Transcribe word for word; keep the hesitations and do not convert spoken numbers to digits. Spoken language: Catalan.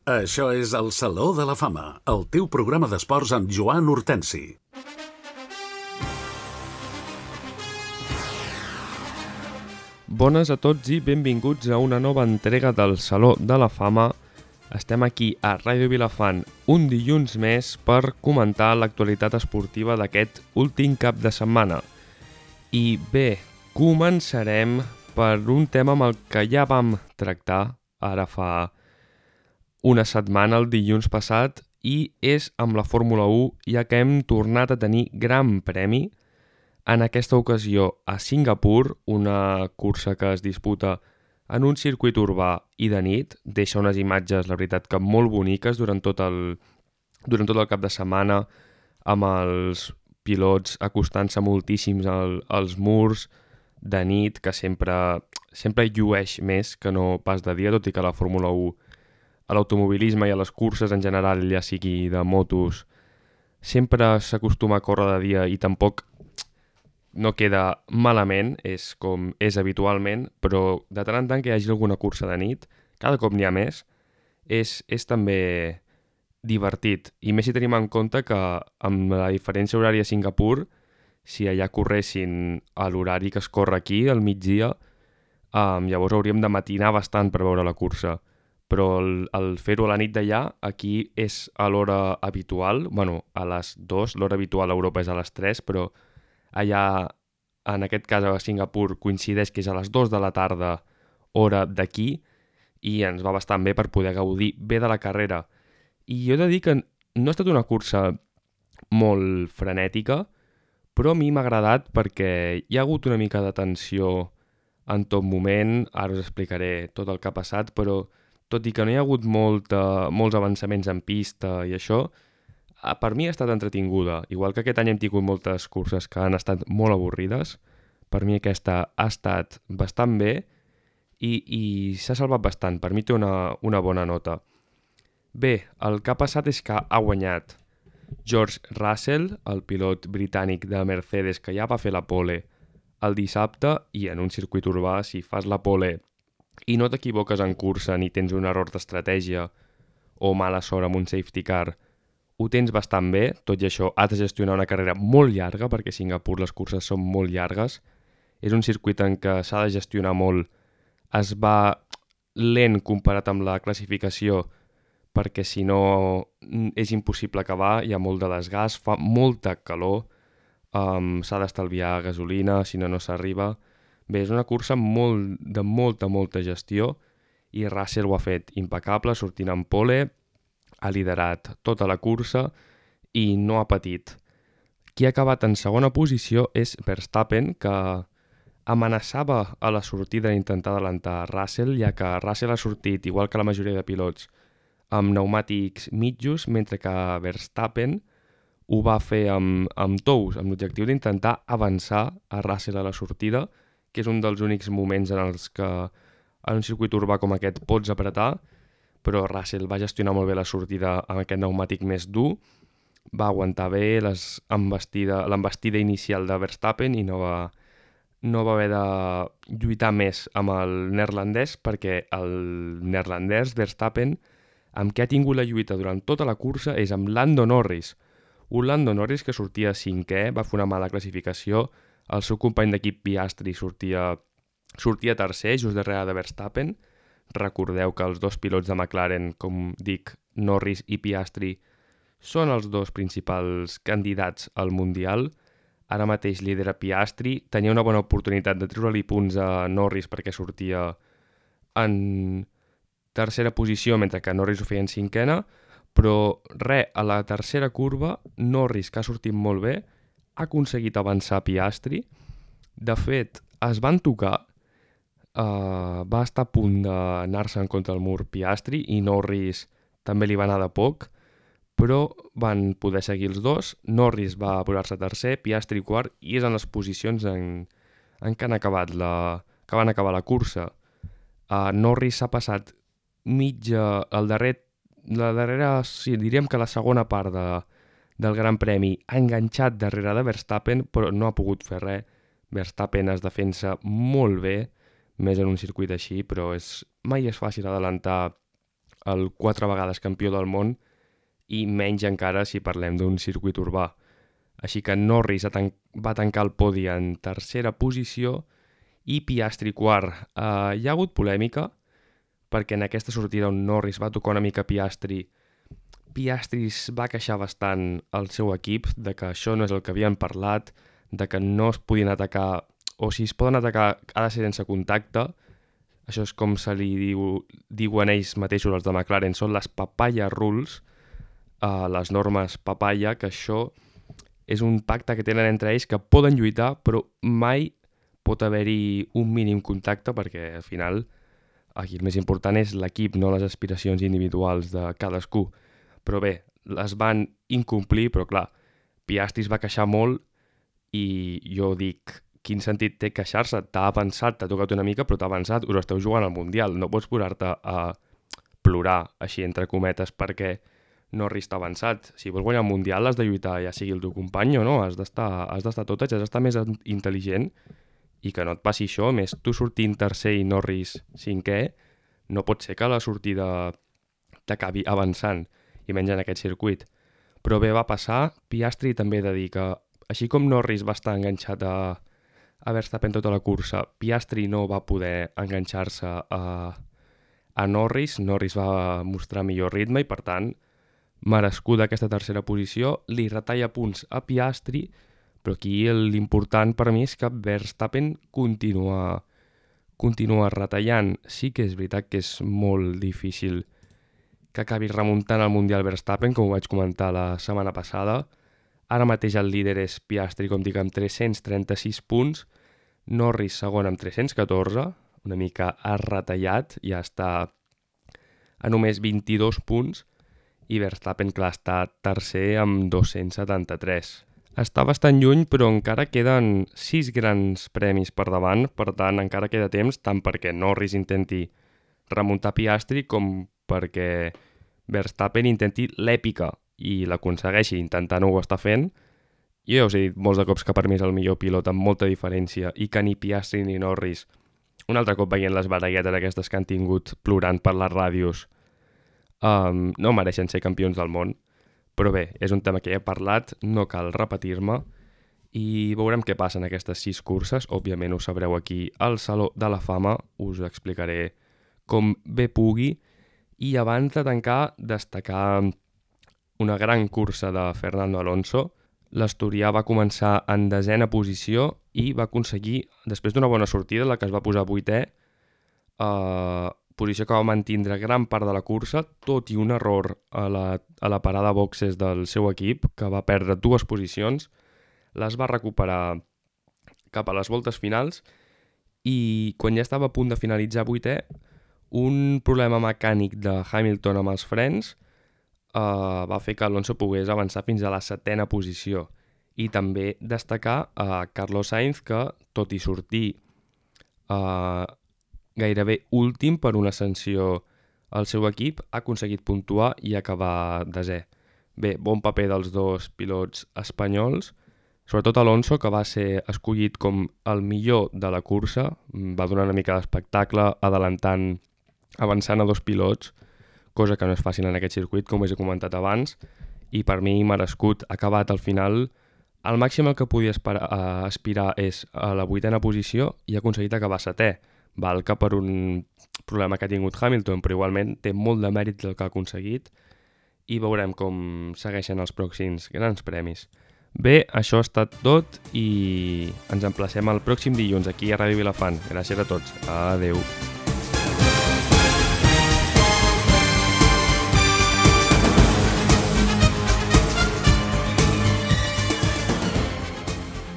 Això és el Saló de la Fama, el teu programa d'esports amb Joan Hortensi. Bones a tots i benvinguts a una nova entrega del Saló de la Fama. Estem aquí a Ràdio Vilafant un dilluns més per comentar l'actualitat esportiva d'aquest últim cap de setmana. I bé, començarem per un tema amb el que ja vam tractar ara fa una setmana, el dilluns passat, i és amb la Fórmula u, ja que hem tornat a tenir gran premi, en aquesta ocasió a Singapur, una cursa que es disputa en un circuit urbà i de nit. Deixa unes imatges, la veritat, que molt boniques durant tot el, durant tot el cap de setmana, amb els pilots acostant-se moltíssims al, als murs de nit, que sempre, sempre llueix més que no pas de dia, tot i que la Fórmula u, a l'automobilisme i a les curses en general, ja sigui de motos, sempre s'acostuma a córrer de dia i tampoc no queda malament, és com és habitualment, però de tant en tant que hi hagi alguna cursa de nit, cada cop n'hi ha més, és, és també divertit. I més si tenim en compte que amb la diferència horària a Singapur, si allà corressin a l'horari que es corre aquí, al migdia, um, llavors hauríem de matinar bastant per veure la cursa. Però el, el fer-ho a la nit d'allà, aquí és a l'hora habitual, bueno, a les dues, l'hora habitual a Europa és a les tres, però allà, en aquest cas a Singapur, coincideix que és a les dues de la tarda, hora d'aquí, i ens va bastant bé per poder gaudir bé de la carrera. I jo he de dir que no ha estat una cursa molt frenètica, però a mi m'ha agradat perquè hi ha hagut una mica de tensió en tot moment, ara us explicaré tot el que ha passat, però tot i que no hi ha hagut molta, molts avançaments en pista i això, per mi ha estat entretinguda. Igual que aquest any hem tingut moltes curses que han estat molt avorrides, per mi aquesta ha estat bastant bé i, i s'ha salvat bastant. Per mi té una, una bona nota. Bé, el que ha passat és que ha guanyat George Russell, el pilot britànic de Mercedes, que ja va fer la pole el dissabte, i en un circuit urbà, si fas la pole i no t'equivoques en cursa ni tens un error d'estratègia o mala sort amb un safety car, ho tens bastant bé. Tot i això has de gestionar una carrera molt llarga, perquè a Singapur les curses són molt llargues. És un circuit en què s'ha de gestionar molt. Es va lent comparat amb la classificació, perquè si no és impossible acabar, hi ha molt de desgast, fa molta calor, um, s'ha d'estalviar gasolina, si no no s'arriba. Bé, és una cursa molt, de molta, molta gestió, i Russell ho ha fet impecable, sortint en pole, ha liderat tota la cursa i no ha patit. Qui ha acabat en segona posició és Verstappen, que amenaçava a la sortida d'intentar adelantar Russell, ja que Russell ha sortit, igual que la majoria de pilots, amb pneumàtics mitjos, mentre que Verstappen ho va fer amb, amb tous, amb l'objectiu d'intentar avançar a Russell a la sortida, que és un dels únics moments en els que en un circuit urbà com aquest pots apretar, però Russell va gestionar molt bé la sortida amb aquest pneumàtic més dur, va aguantar bé l'envestida inicial de Verstappen i no va, no va haver de lluitar més amb el neerlandès, perquè el neerlandès Verstappen, amb què ha tingut la lluita durant tota la cursa, és amb Lando Norris. Un Lando Norris que sortia cinquè, va fer una mala classificació, el seu company d'equip Piastri sortia, sortia tercer, just darrere de Verstappen. Recordeu que els dos pilots de McLaren, com dic, Norris i Piastri, són els dos principals candidats al Mundial. Ara mateix lidera Piastri, tenia una bona oportunitat de treure-li punts a Norris perquè sortia en tercera posició, mentre que Norris ho feia en cinquena, però res, a la tercera curva, Norris, que ha sortit molt bé, ha aconseguit avançar Piastri. De fet, es van tocar, uh, va estar a punt d'anar-se en contra del mur Piastri i Norris també li va anar de poc, però van poder seguir els dos. Norris va posar-se tercer, Piastri quart, i és en les posicions en, en què han acabat la, que van acabar la cursa. Uh, Norris s'ha passat mitja, el darrer, la darrera, sí, diríem que la segona part de, del Gran Premi ha enganxat darrere de Verstappen, però no ha pogut fer res. Verstappen es defensa molt bé, més en un circuit així, però és, mai és fàcil adelantar el quatre vegades campió del món, i menys encara si parlem d'un circuit urbà. Així que Norris va tancar el podi en tercera posició i Piastri quart. Uh, hi ha hagut polèmica perquè en aquesta sortida on Norris va tocar una mica Piastri, Piastri es va queixar bastant al seu equip de que això no és el que havien parlat, de que no es podien atacar, o si es poden atacar ha de ser sense contacte. Això és com se li diu, diuen ells mateixos, els de McLaren, són les papaya rules, uh, les normes papaya, que això és un pacte que tenen entre ells que poden lluitar, però mai pot haver-hi un mínim contacte perquè al final aquí el més important és l'equip, no les aspiracions individuals de cadascú. Però bé, les van incomplir, però clar, Piastri es va queixar molt i jo dic, quin sentit té queixar-se? T'ha avançat, t'ha tocat una mica, però t'ha avançat, us esteu jugant al Mundial, no pots posar-te a plorar, així entre cometes, perquè Norris t'ha avançat. Si vols guanyar el Mundial has de lluitar, ja sigui el teu company o no, has d'estar has d'estar tot, has d'estar més intel·ligent i que no et passi això. A més, tu sortint tercer i Norris cinquè, no pot ser que la sortida t'acabi avançant, i menys en aquest circuit. Però bé, va passar. Piastri també he de dir que, així com Norris va estar enganxat a, a Verstappen tota la cursa, Piastri no va poder enganxar-se a, a Norris. Norris va mostrar millor ritme i, per tant, merescuda aquesta tercera posició. Li retalla punts a Piastri, però aquí l'important per mi és que Verstappen continua, continua retallant. Sí que és veritat que és molt difícil que acabi remuntant el Mundial Verstappen, com ho vaig comentar la setmana passada. Ara mateix el líder és Piastri, com dic, amb tres-cents trenta-sis punts, Norris segon amb tres-cents catorze, una mica ha retallat, ja està a només vint-i-dos punts, i Verstappen, clar, està tercer amb dos-cents setanta-tres. Està bastant lluny, però encara queden sis grans premis per davant, per tant, encara queda temps, tant perquè Norris intenti remuntar Piastri com perquè Verstappen intenti l'èpica i l'aconsegueixi, intentant ho està fent. Jo ja us he dit molts de cops que per mi és el millor pilot amb molta diferència i que ni Piastri ni Norris, un altre cop veient les baralletes aquestes que han tingut plorant per les ràdios, um, no mereixen ser campions del món. Però bé, és un tema que ja he parlat, no cal repetir-me i veurem què passa en aquestes sis curses. Òbviament ho sabreu aquí al Saló de la Fama, us explicaré com bé pugui. I abans de tancar, destacar una gran cursa de Fernando Alonso. L'asturià va començar en desena posició i va aconseguir, després d'una bona sortida, la que es va posar vuitè, eh, posició que va mantindre gran part de la cursa, tot i un error a la, a la parada boxes del seu equip, que va perdre dues posicions, les va recuperar cap a les voltes finals i quan ja estava a punt de finalitzar vuitè, un problema mecànic de Hamilton amb els frens uh, va fer que Alonso pogués avançar fins a la setena posició. I també destacar a uh, Carlos Sainz, que, tot i sortir uh, gairebé últim per una sanció al seu equip, ha aconseguit puntuar i acabar desè. Bé, bon paper dels dos pilots espanyols, sobretot Alonso, que va ser escollit com el millor de la cursa, va donar una mica d'espectacle, adelantant avançant a dos pilots, cosa que no és fàcil en aquest circuit, com us he comentat abans, i per mi merescut. Ha acabat al final, el màxim el que podia esperar, uh, aspirar és a la vuitena posició i ha aconseguit acabar setè. Val que per un problema que ha tingut Hamilton, però igualment té molt de mèrit el que ha aconseguit i veurem com segueixen els pròxims grans premis. Bé, això ha estat tot i ens emplacem el pròxim dilluns aquí a Ràdio Vilafant. Gràcies a tots. Adeu.